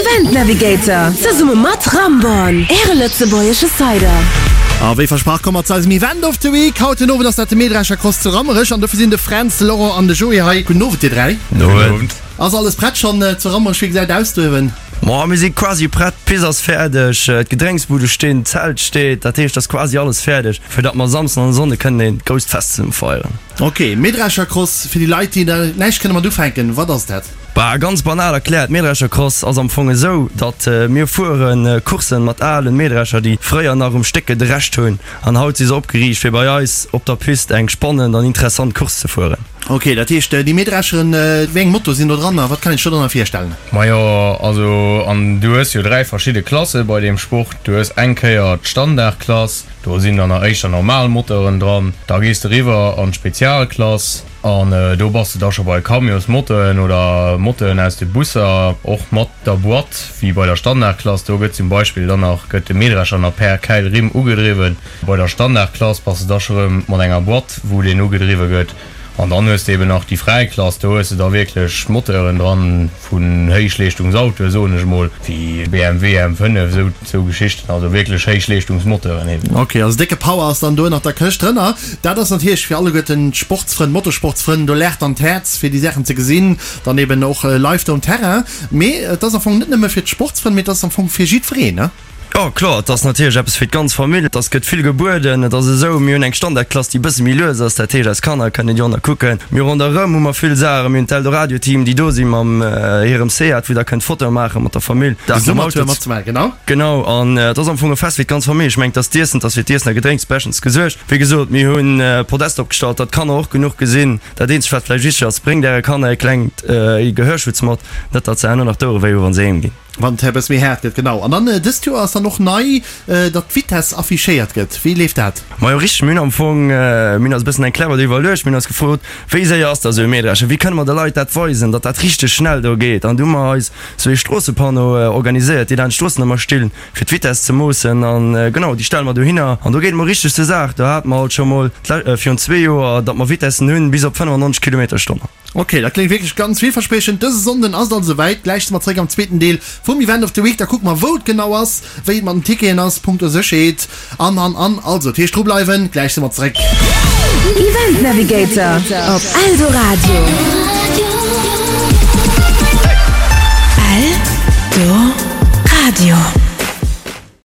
Event Navigator zesumme mat Ramborn, Äre lëtzebuergesche Cider. A wéi versprach komme mer zu eisem Event of the Week. Haut den Owend ass dat de Mähdrescher Cross zu Rammerech an dofir sinn de Fränz, de Laurent an de Joé hei. Gudden Owend dir 3. Gudden Owend. Ass alles prett schonn zu Rammerech? Wéi gesäit et aus do uewen? Ma mir si quasi prett, d'Pist ass fäerdeg, d'Gedrénksbude stinn, d'Zelt steet, dat heescht, et ass quasi alles fäerdeg, fir datt mer Samsden an Sonnde kënnen een grousst Fest zesumme feieren. Ok, Mähdreschercross, fir déi Leit, déi da näischt kënne mat ufänken, wat ass dat? Bah, ganz banal erkläert, Mähdreschercross ass am Fong esou, datt mir fuere Courssen mat alen Mähdrescher, déi fréier nach um Stéck gedrescht hunn, an haut si se opgeriicht, fir bei eis op der Pist eng spannend an interessant Course ze fueren. Ok, dat heescht déi Mähdrescheren, wéi eng Moto sinn do dran a wat kann een sech do drënner virstellen? Majo, also an du hues jo 3 verschidde Klasse bei deem Sport. Du hues eng Kéier d'Standardklass, do sinn dann nach éischter normal Motoren dran. Da gees de riwwer an d'Spezialklass an do bass de da scho bei Camionsmotoren oder Motoren aus de Busser, och mat der Boîte wéi bei der Standardklass. Do gëtt zum Beispill dann nach gëtt de Mähdrescher nach per Käilrimm ugedriwwen. Bei der Standardklass bass de da scho rëm mat enger Boîte wou deen ugedriwwe gëtt. An dann hues de eben nach déi fräi Klass, do hues de da wierklech Moteuren dran vun Héichleeschtungsautoe soen ech emol, wéi BMW M5, esou esou Geschichten, also wierklech Héichleeschtungsmoteuren eben. Ok, also décke Power ass dann do ënnert der Këscht drënner. Dat ass natierlech fir alleguerten d'Sportsfrënn, Motorsportsfrënn, do laacht dann d'Häerz fir déi Saachen ze gesinn, dann eben och live do um Terrain. Mee et ass am Fong net nëmme fir d'Sportsfrënn, mee et ass am Fong fir jiddwereen, ne? Jo, kloer, et ass natierlech eppes fir d'ganz Famill. Et ass, gëtt vill gebueden. Et ass esou, mir hunn eng Standardklass, déi e bësse méi lues ass. Dat heescht, eis Kanner kënnen déi och nach kucken. Mir ronderëm hu mer vill Saachen. Mir hunn d'Eldoradio-Team, déi do si mam hirem Seat, wou der kënnt Fotoe maache mat der Famill. De Summertour matzemaachen, genau. Genau, an et ass am Fong e Fest fir d'ganz Famill. Ech mengen, et ass d'Iessen, et ass fir d'Iessen a Gedrénks beschtens gesuergt. Wéi gesot, mir hunn Podest opgestallt, datt d'Kanner och genuch gesinn. Dat eenzegt, wat vläicht wichteg ass, Bréngt äre Kanner e klengt Gehörschutz mat, net datt se herno nach d'Ouere wéi hu wa se heem ginn. Wann et e bësse méi haart gëtt, genau. An dann dëst Joer ass dann och nei, datt d'Vitess affichéiert gëtt. Wéi leeft dat? Majo richteg, mir hunn am Fong, mir hunn eis e bëssen eng clever do iwwerluecht. Mir hunn eis gefrot, wéi séier ass da sou e Mähdrescher? Wéi kënne mer de Leit dat weisen, datt dat richteg schnell do geet? An du hu mer eis sou ee Stroossepanneau organiséiert, déi laanscht d'Stroossen ëmmer stinn, fir d'Vitess ze moossen. An genau, déi stelle mer dohinner an do geet et mol richteg zur Saach. Do hate mer alt scho mol virun zwee Joer, datt mer Vitessen hunn bis op 95 Kilometer Stonn. Ok, dat kléngt wierklech ganz villverspriechend. Dëse Sonnden ass et also esouwäit. Gläich si mer zeréck am zweeten Deel vum Event of the Week. Da kucke mer, wou et genau ass, wéi et mat den Ticketen ass, punkto Sécherheet an, an, an. Also, dat heescht drubleiwen, gläich si mer zeréck. Event Navigator op Eldoradio. Eldoradio.